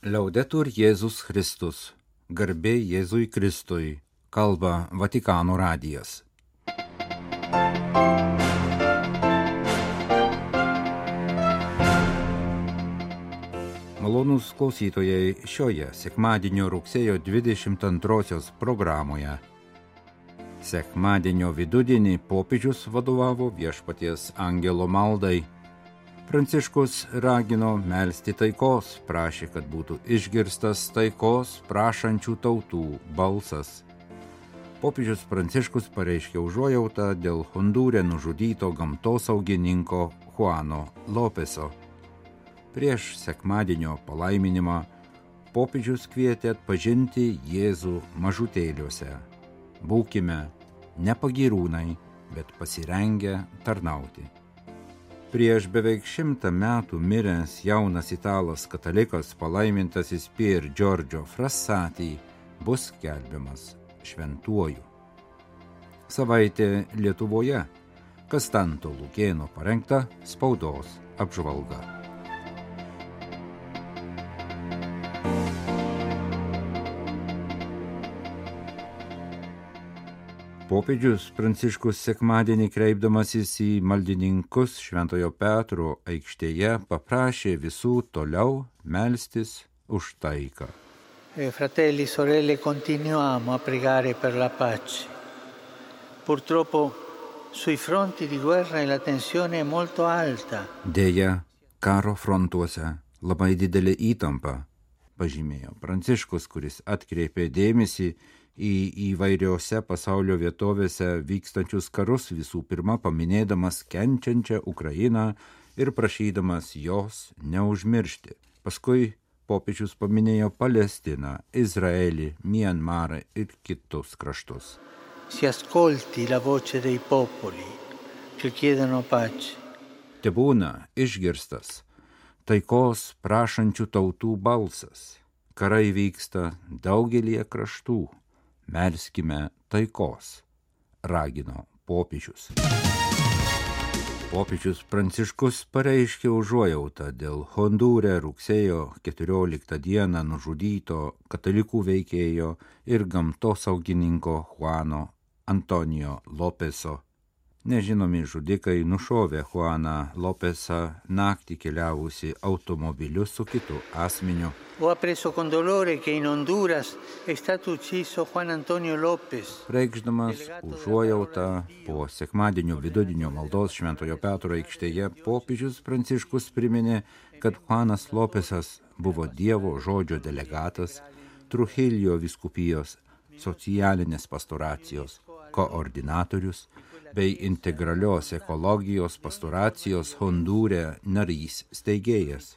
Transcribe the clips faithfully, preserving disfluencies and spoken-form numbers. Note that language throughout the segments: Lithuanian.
Liaudetur Jėzus Kristus, garbė Jėzui Kristui, kalba Vatikano radijas. Malonūs klausytojai, šioje sekmadienio rugsėjo dvidešimt antrosios programoje. Sekmadienio vidudienį popiežius vadovavo Viešpaties angelo maldai. Pranciškus ragino melsti taikos, prašė, kad būtų išgirstas taikos prašančių tautų balsas. Popiežius Pranciškus pareiškė užuojautą dėl Hondūre nužudyto gamtosaugininko Juano Lopeso. Prieš sekmadienio palaiminimą popiežius kvietė atpažinti Jėzų mažutėliuose. Būkime ne pagyrūnai, bet pasirengę tarnauti. Prieš beveik šimtą metų miręs jaunas italas katalikas palaimintasis Pier Giorgio Frassati bus skelbiamas šventuoju. Savaitė Lietuvoje. Kastanto Lukėno parengta spaudos apžvalga. Popiežius Pranciškus sekmadienį kreipdamasis į maldininkus Šventojo Petro aikštėje paprašė visų toliau melstis už taiką. E fratelli, sorelle, continuiamo a pregare per la pace. Purtroppo sui fronti di guerra la tensione è molto alta. Deja, karo frontuose labai didelė įtampa, pažymėjo Pranciškus, kuris atkreipė dėmesį į įvairiose pasaulio vietovėse vykstančius karus, visų pirma paminėdamas kenčiančią Ukrainą ir prašydamas jos neužmiršti. Paskui popiežius paminėjo Palestiną, Izraelį, Mianmarą ir kitus kraštus. Si ascolti la voce dei popoli che chiedono pace. Tebūna išgirstas taikos prašančių tautų balsas. Karai vyksta daugelie kraštų. Melskime taikos, ragino popiežius. Popiežius Pranciškus pareiškė užuojautą dėl Hondūre rugsėjo keturioliktą dieną nužudyto katalikų veikėjo ir gamtosaugininko Juano Antonijo Lopeso. Nežinomi žudikai nušovė Juaną Lopesą naktį keliavusi automobiliu su kitu asmeniu. Ho appreso con dolore che in Honduras è stato ucciso Juan Antonio López. Reikšdamas užuojautą po sekmadienio vidudienio maldos Šventojo Petro aikštėje, popiežius Pranciškus priminė, kad Juanas Lopesas buvo Dievo žodžio delegatas, Trujillo vyskupijos socialinės pastoracijos koordinatorius bei integralios ekologijos pastoracijos Hondūre narys steigėjas.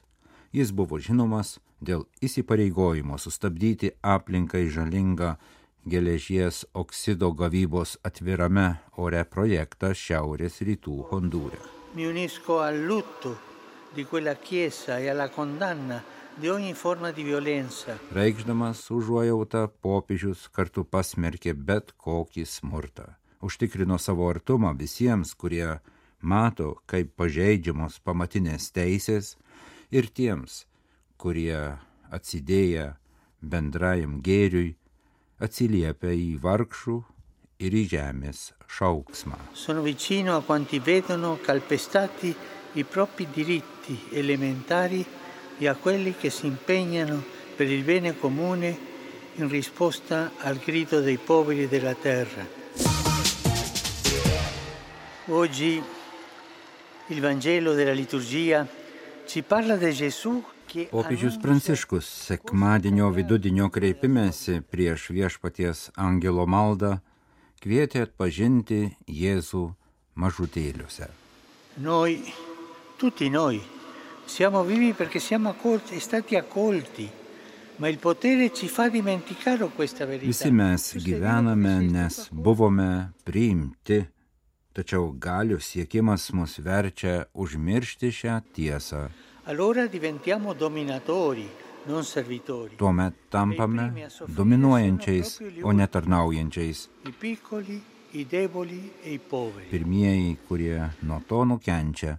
Jis buvo žinomas dėl įsipareigojimo sustabdyti aplinkai žalingą geležies oksido gavybos atvirame ore projektą šiaurės rytų Hondūre. Mi unisco al lutto di quella chiesa e alla condanna di ogni forma di violenza. Reikšdamas užuojautą, popiežius kartu pasmerkė bet kokį smurtą. Užtikrino savo artumą visiems, kurie mato, kaip pažeidžiamos pamatinės teisės, ir tiems, kurie atsidėję bendrajam gėriui atsiliepia į vargšų ir į žemės šauksmą. Sono vicino a quanti vedono calpestati i propri diritti elementari e a quelli che si impegnano per il bene comune in risposta al grido dei poveri della terra. Oggi il Vangelo della liturgia ci parla di Gesù che Popiežius Pranciškus sekmadienio vidudienio kreipimėsi prieš Viešpaties angelo maldą kvietė atpažinti Jėzų mažutėliuose. Noi, tutti noi, siamo vivi perché siamo accolti, stati accolti, ma il potere ci fa dimenticare questa verità. Visi mes gyvename, nes buvome priimti. Tačiau galių siekimas mus verčia užmiršti šią tiesą. Allora diventiamo dominatori, non servitori. Tuomet tampame dominuojančiais, o ne tarnaujančiais. I piccoli, i deboli e i poveri. Pirmieji, kurie nuo to nukenčia,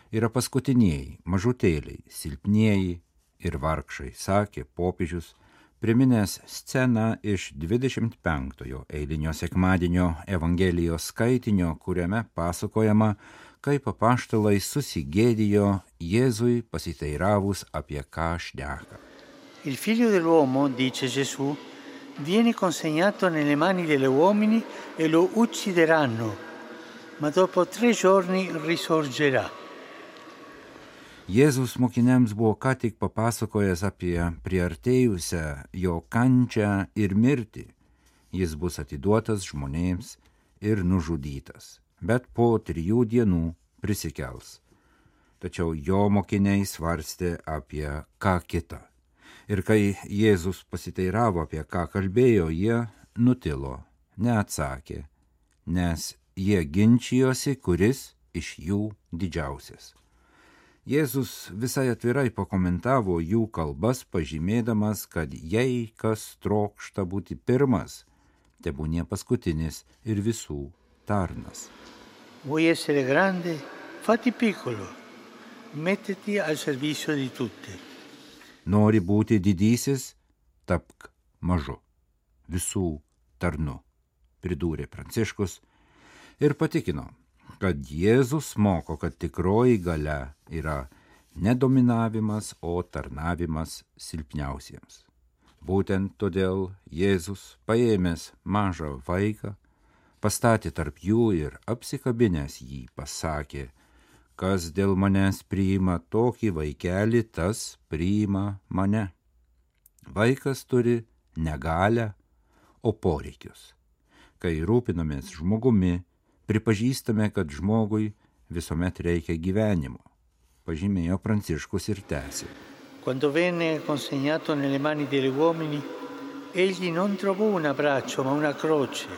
yra paskutinieji, mažutėliai, silpnieji ir vargšai, sakė popiežius, priminęs sceną iš dvidešimt penktojo eilinio sekmadienio Evangelijos skaitinio, kuriame pasakojama, kaip apaštalai susigėdijo Jėzui pasiteiravus apie ką šneka. Il figlio dell'uomo, dice Gesù, viene consegnato nelle mani degli uomini e lo uccideranno, ma dopo tre giorni risorgerà. Jėzus mokiniams buvo ką tik papasakojęs apie priartėjusią jo kančią ir mirtį. Jis bus atiduotas žmonėms ir nužudytas, bet po trijų dienų prisikels. Tačiau jo mokiniai svarstė apie ką kitą. Ir kai Jėzus pasiteiravo, apie ką kalbėjo, jie nutilo, neatsakė, nes jie ginčijosi, kuris iš jų didžiausias. Jėzus visai atvirai pakomentavo jų kalbas, pažymėdamas, kad jei kas trokšta būti pirmas, tebūnie paskutinis ir visų tarnas. Vuoi essere grande? Fatti piccolo, mettiti al servizio di tutti. Nori būti didysis, tapk mažu, visų tarnu, pridūrė Pranciškus ir patikino, kad Jėzus moko, kad tikroji galia yra ne dominavimas, o tarnavimas silpniausiems. Būtent todėl Jėzus, paėmęs mažą vaiką, pastatė tarp jų ir apsikabinęs jį pasakė, kas dėl manęs priima tokį vaikelį, tas priima mane. Vaikas turi negalią, o poreikius. Kai rūpinamės žmogumi, pripažįstame, kad žmogui visuomet reikia gyvenimo, pažymėjo Pranciškus ir tęsė. Quando venne consegnato nelle mani degli uomini, egli non trovò un abbraccio, ma una croce.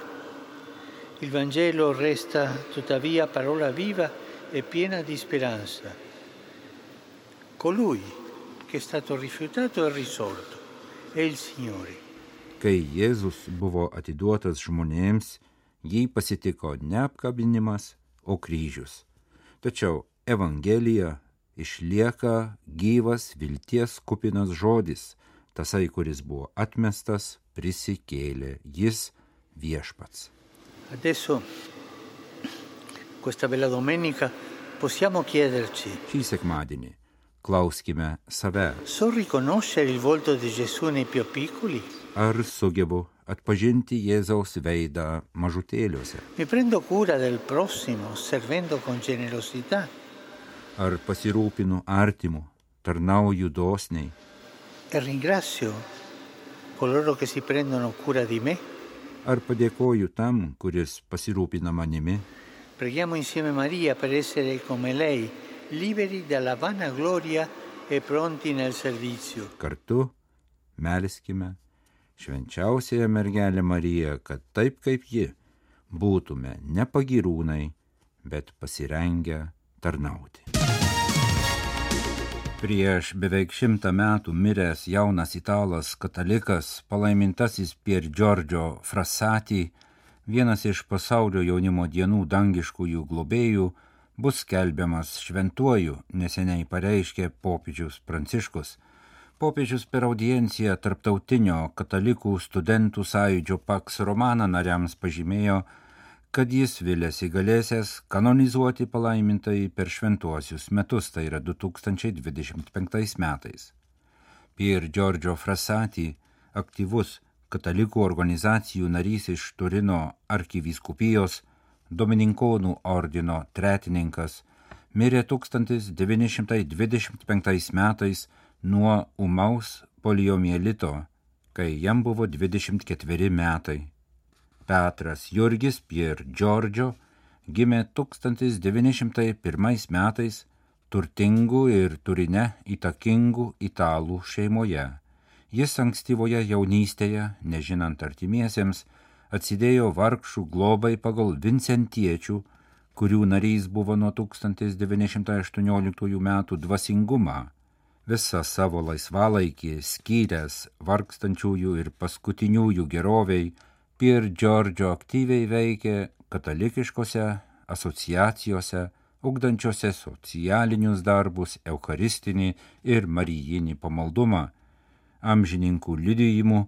Il Vangelo resta tuttavia parola viva e piena di speranza. Colui che è stato rifiutato e risorto è il Signore. Kai Jėzus buvo atiduotas žmonėms, jį pasitiko ne apkabinimas, o kryžius. Tačiau Evangelija išlieka gyvas vilties kupinas žodis, tasai, kuris buvo atmestas, prisikėlė, jis viešpats. Adesso, questa bella domenica, possiamo chiederci: Šį sekmadienį klauskime save. so riconoscere il volto di Gesù nei più piccoli? Ar sugebu atpažinti Jėzaus veidą mažutėliuose? Mi prendo cura del prossimo, servendo con generosità? Ar pasirūpinu artimu, tarnauju dosniai? E ringrazio coloro che si prendono cura di me? Ar padėkoju tam, kuris pasirūpina manimi? Preghiamo insieme Maria per essere come lei, liberi dalla vanagloria e pronti nel servizio. Kartu melskime švenčiausiąją mergelę Mariją, kad taip kaip ji būtume ne pagyrūnai, bet pasirengę tarnauti. Prieš beveik šimtą metų miręs jaunas italas katalikas, palaimintasis Pier Giorgio Frassati, vienas iš pasaulio jaunimo dienų dangiškųjų globėjų, bus skelbiamas šventuoju, neseniai pareiškė popiežius Pranciškus. Popiežius per audienciją tarptautinio katalikų studentų sąjūdžio Pax Romana nariams pažymėjo, kad jis viliasi galėsęs kanonizuoti palaimintai per šventuosius metus, tai yra du tūkstančiai dvidešimt penktais metais. Pier Giorgio Frassati, aktyvus katalikų organizacijų narys iš Turino arkivyskupijos, Domininkonų ordino tretininkas, mirė tūkstantis devyni šimtai dvidešimt penktais metais nuo ūmaus poliomielito, kai jam buvo dvidešimt ketveri metai. Petras Jurgis Pier Giorgio gimė tūkstantis devyni šimtai pirmais metais turtingų ir Turine įtakingų italų šeimoje. Jis ankstyvoje jaunystėje, nežinant artimiesiems, atsidėjo vargšų globai pagal vincentiečių, kurių narys buvo nuo tūkstantis devyni šimtai aštuonioliktųjų metų dvasingumą. Visą savo laisvalaikį skyręs vargstančiųjų ir paskutiniųjų geroviai, Pier Giorgio aktyviai veikė katalikiškose asociacijose, ugdančiose socialinius darbus, eucharistinį ir marijinį pamaldumą. Amžininkų liudijimų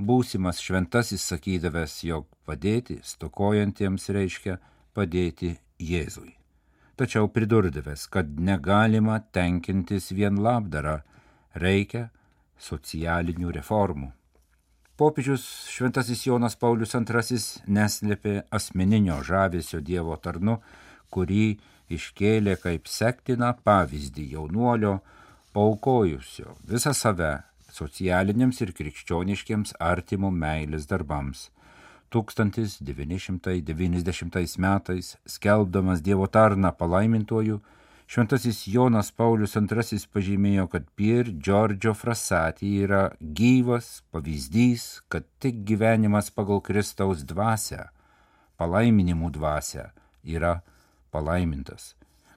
būsimas šventasis sakydavęs, jog padėti stokojantiems reiškia padėti Jėzui. Tačiau pridurdavęs, kad negalima tenkintis vien labdara, reikia socialinių reformų. Popiežius šventasis Jonas Paulius antrasis neslėpė asmeninio žavesio Dievo tarnu, kurį iškėlė kaip sektiną pavyzdį jaunuolio, paaukojusio visą save socialiniams ir krikščioniškiems artimo meilės darbams. tūkstantis devyni šimtai devyniasdešimtais metais, skelbdamas Dievo tarną palaimintuoju, šventasis Jonas Paulius antrasis pažymėjo, kad Pier Giorgio Frassati yra gyvas pavyzdys, kad tik gyvenimas pagal Kristaus dvasią, palaiminimų dvasią, yra palaimintas,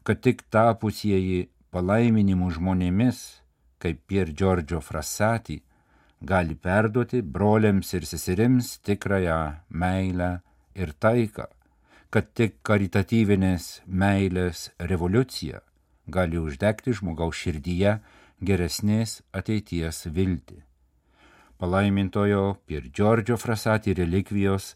kad tik tapusieji palaiminimų žmonėmis, kaip Pier Giorgio Frassati, gali perduoti broliams ir seserims tikrąją meilę ir taiką, kad tik karitatyvinės meilės revoliucija gali uždegti žmogaus širdyje geresnės ateities viltį. Palaimintojo Pier Giorgio Frassati relikvijos,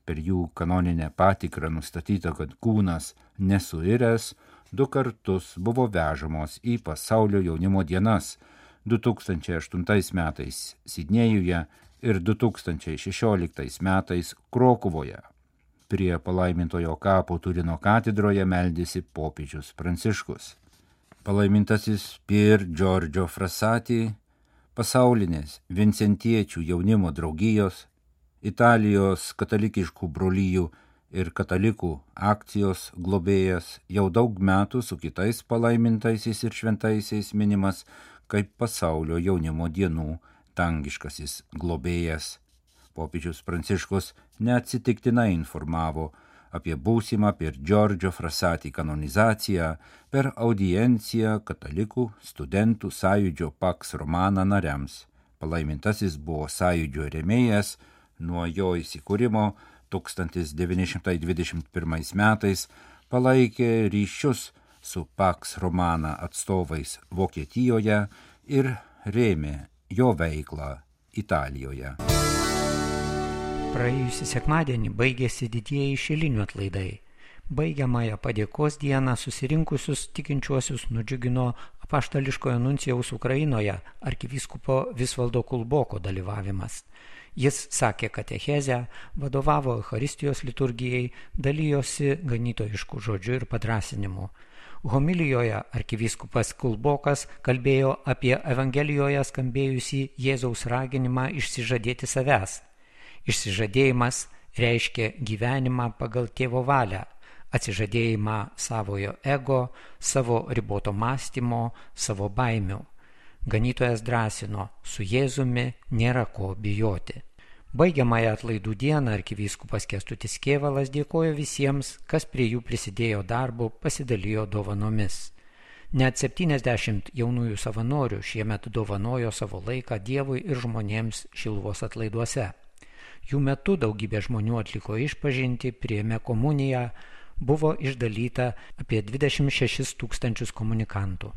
per jų kanoninę patikrą nustatyta, kad kūnas nesuiręs, du kartus buvo vežamos į pasaulio jaunimo dienas du tūkstančiai aštuntais metais Sidnėjuje ir du tūkstančiai šešioliktais metais Krokuvoje. Prie palaimintojo kapo Turino katedroje meldėsi popiežius Pranciškus. Palaimintasis Pier Giorgio Frassati, pasaulinės vincentiečių jaunimo draugijos, Italijos katalikiškų brolijų ir katalikų akcijos globėjas, jau daug metų su kitais palaimintaisiais ir šventaisiais minimas kaip pasaulio jaunimo dienų dangiškasis globėjas. Popiežius Pranciškus neatsitiktinai informavo apie būsimą Pier Giorgio Frassati kanonizaciją per audienciją katalikų studentų sąjūdžio Pax Romana nariams. Palaimintasis buvo sąjūdžio rėmėjas nuo jo įsikūrimo tūkstantis devyni šimtai dvidešimt pirmais metais, palaikė ryšius su Pax Romana atstovais Vokietijoje ir rėmė jo veiklą Italijoje. Praėjusį sekmadienį baigėsi didieji šilinių atlaidai. Baigiamąją padėkos dieną susirinkusius tikinčiuosius nudžiugino apaštališkojo nuncijaus Ukrainoje arkivyskupo Visvaldo Kulboko dalyvavimas. Jis sakė katechezę, vadovavo Eucharistijos liturgijai, dalijosi ganytojiškų žodžių ir padrąsinimu. Homilijoje arkivyskupas Kulbokas kalbėjo apie Evangelijoje skambėjusį Jėzaus raginimą išsižadėti savęs. Išsižadėjimas reiškia gyvenimą pagal tėvo valią, atsižadėjimą savojo ego, savo riboto mąstymo, savo baimių. Ganytojas drąsino, su Jėzumi nėra ko bijoti. Baigiamąją atlaidų dieną arkivyskupas Kęstutis Kėvalas dėkojo visiems, kas prie jų prisidėjo darbu, pasidalijo dovanomis. Net septyniasdešimt jaunųjų savanorių šiemet dovanojo savo laiką Dievui ir žmonėms Šiluvos atlaiduose. Jų metu daugybė žmonių atliko išpažintį, priėmė komuniją, buvo išdalyta apie dvidešimt šešis tūkstančius komunikantų.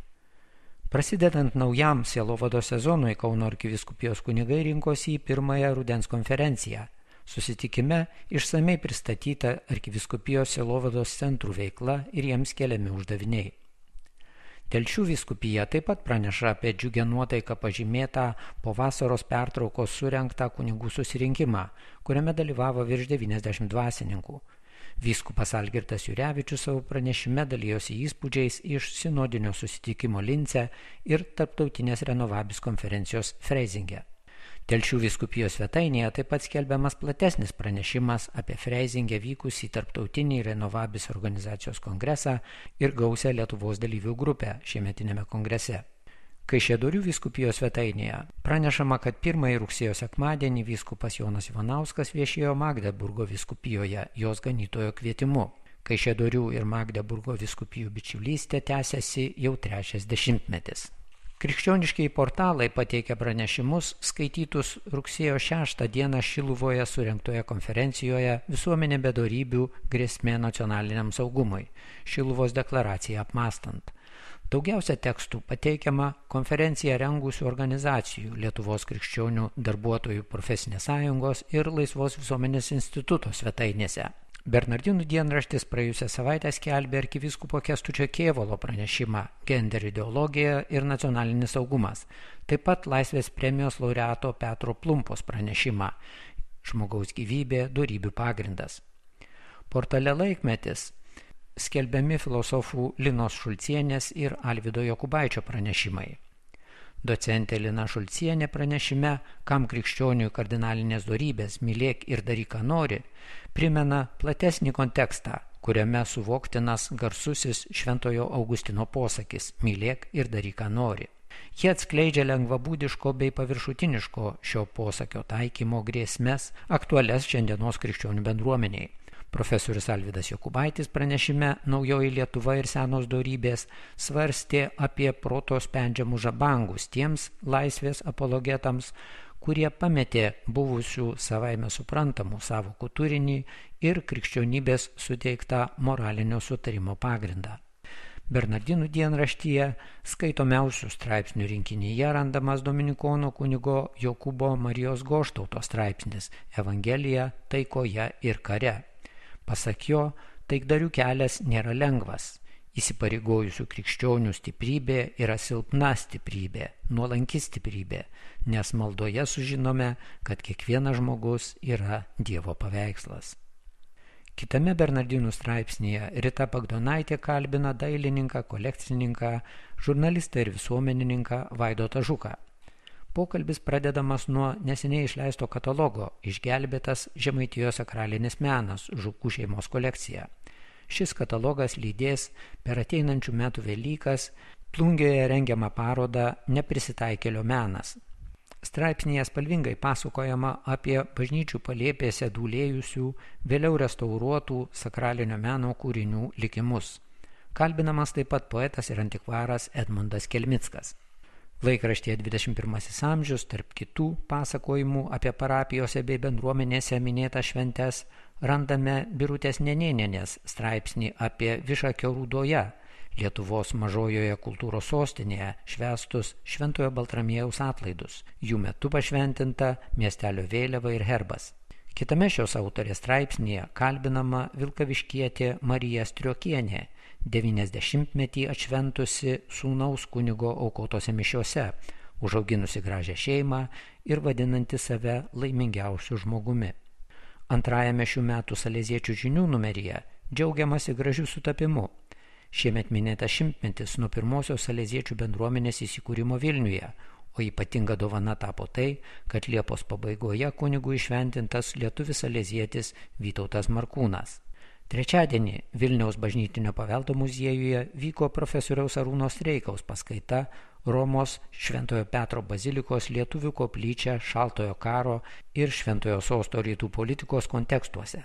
Prasidedant naujam sielovados sezonui, Kauno arkivyskupijos kunigai rinkosi į pirmąją rudens konferenciją. Susitikime išsamei pristatyta arkivyskupijos sielovados centrų veikla ir jiems keliami uždaviniai. Telšių vyskupija taip pat praneša apie džiugią nuotaiką pažymėtą po vasaros pertraukos surengtą kunigų susirinkimą, kuriame dalyvavo virš devyniasdešimt dvasininkų. Vyskupas Algirdas Jurevičius savo pranešime dalijosi įspūdžiais iš sinodinio susitikimo Lince ir tarptautinės Renovabis konferencijos Freizinge. Telšių vyskupijos svetainėje taip pat skelbiamas platesnis pranešimas apie Freizinge vykusį tarptautinį Renovabis organizacijos kongresą ir gausią Lietuvos dalyvių grupę šiemetinėme kongrese. Kaišiadorių vyskupijos svetainėje pranešama, kad pirmąjį rugsėjo sekmadienį vyskupas Jonas Ivanauskas viešėjo Magdeburgo vyskupijoje jos ganytojo kvietimu. Kaišiadorių ir Magdeburgo vyskupijų bičiulystė tęsiasi jau trečias dešimtmetis. Krikščioniškiai portalai pateikia pranešimus skaitytus rugsėjo šeštą dieną Šiluvoje surengtoje konferencijoje Visuomenė be dorybių grėsmė nacionaliniam saugumui – Šiluvos deklaraciją apmąstant. Daugiausia tekstų pateikiama konferenciją rengusių organizacijų Lietuvos krikščionių darbuotojų profesinės sąjungos ir Laisvos visuomenės instituto svetainėse. Bernardinų dienraštis praėjusią savaitę skelbė arkivyskupo Kęstučio Kėvalo pranešimą Gender ideologija ir nacionalinis saugumas, taip pat Laisvės premijos laureato Petro Plumpos pranešimą Žmogaus gyvybė, dorybių pagrindas. Portale Laikmetis skelbiami filosofų Linos Šulcienės ir Alvydo Jokubaičio pranešimai. Docentė Lina Šulcienė pranešime, kam krikščioniui kardinalinės dorybės mylėk ir daryk ką nori, primena platesnį kontekstą, kuriame suvoktinas garsusis Šventojo Augustino posakis mylėk ir daryk ką nori. Jie atskleidžia lengvabūdiško bei paviršutiniško šio posakio taikymo grėsmes aktualias šiandienos krikščionių bendruomeniai. Profesorius Alvydas Jokubaitis pranešime Naujoji Lietuva ir senos dorybės svarstė apie proto spendžiamus žabangus tiems laisvės apologetams, kurie pametė buvusių savaime suprantamų sąvokų turinį ir krikščionybės suteiktą moralinio sutarimo pagrindą. Bernardinų dienraštyje skaitomiausių straipsnių rinkinyje randamas dominikonų kunigo Jokūbo Marijos Goštauto straipsnis Evangelija taikoje ir kare. Pasak jo, taikdarių kelias nėra lengvas. Įsipareigojusių krikščionių stiprybė yra silpna stiprybė, nuolanki stiprybė, nes maldoje sužinome, kad kiekvienas žmogus yra Dievo paveikslas. Kitame Bernardinų straipsnyje Rita Bagdonaitė kalbina dailininką, kolekcininką, žurnalistą ir visuomenininką Vaidotą Žuką. Pokalbis pradedamas nuo neseniai išleisto katalogo Išgelbėtas Žemaitijos sakralinis menas Žukų šeimos kolekcija. Šis katalogas lydės per ateinančių metų Velykas Plungėje rengiamą parodą Neprisitaikėlio menas. Straipsnyje spalvingai pasakojama apie bažnyčių palėpėse dūlėjusių, vėliau restauruotų sakralinio meno kūrinių likimus. Kalbinamas taip pat poetas ir antikvaras Edmundas Kelmickas. Laikraštyje dvidešimt pirmasis amžius, tarp kitų pasakojimų apie parapijose bei bendruomenėse minėtas šventes, randame Birutės Nenėnienės straipsnį apie Višakio Rūdoje, Lietuvos mažojoje kultūros sostinėje, švęstus Šventojo Baltramiejaus atlaidus. Jų metu pašventinta miestelio vėliava ir herbas. Kitame šios autorės straipsnyje kalbinama vilkaviškietė Marija Striokienė, devyniasdešimtmetį atšventusi sūnaus kunigo aukotose mišiose, užauginusi gražią šeimą ir vadinanti save laimingiausiu žmogumi. Antrajame šių metų Saleziečių žinių numeryje džiaugiamasi gražiu sutapimu. Šiemet minėtas šimtmetis nuo pirmosios Saleziečių bendruomenės įsikūrimo Vilniuje, o ypatinga dovana tapo tai, kad Liepos pabaigoje kunigų išventintas lietuvis salezietis Vytautas Markūnas. Trečiadienį Vilniaus bažnytinio paveldo muziejuje vyko profesoriaus Arūno Streikaus paskaita Romos Šventojo Petro bazilikos lietuvių koplyčia šaltojo karo ir Šventojo sosto rytų politikos kontekstuose.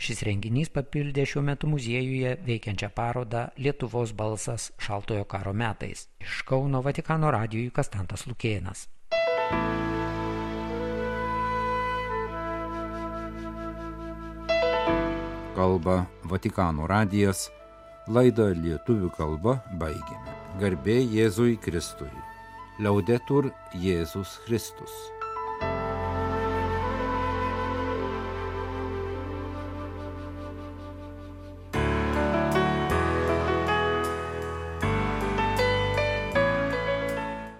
Šis renginys papildė šiuo metu muziejuje veikiančią parodą Lietuvos balsas šaltojo karo metais. Iš Kauno Vatikano radijui Kastantas Lukėnas. Kalba Vatikano radijas, laidą lietuvių kalba baigėme. Garbė Jėzui Kristui. Laudetur Jėzus Kristus.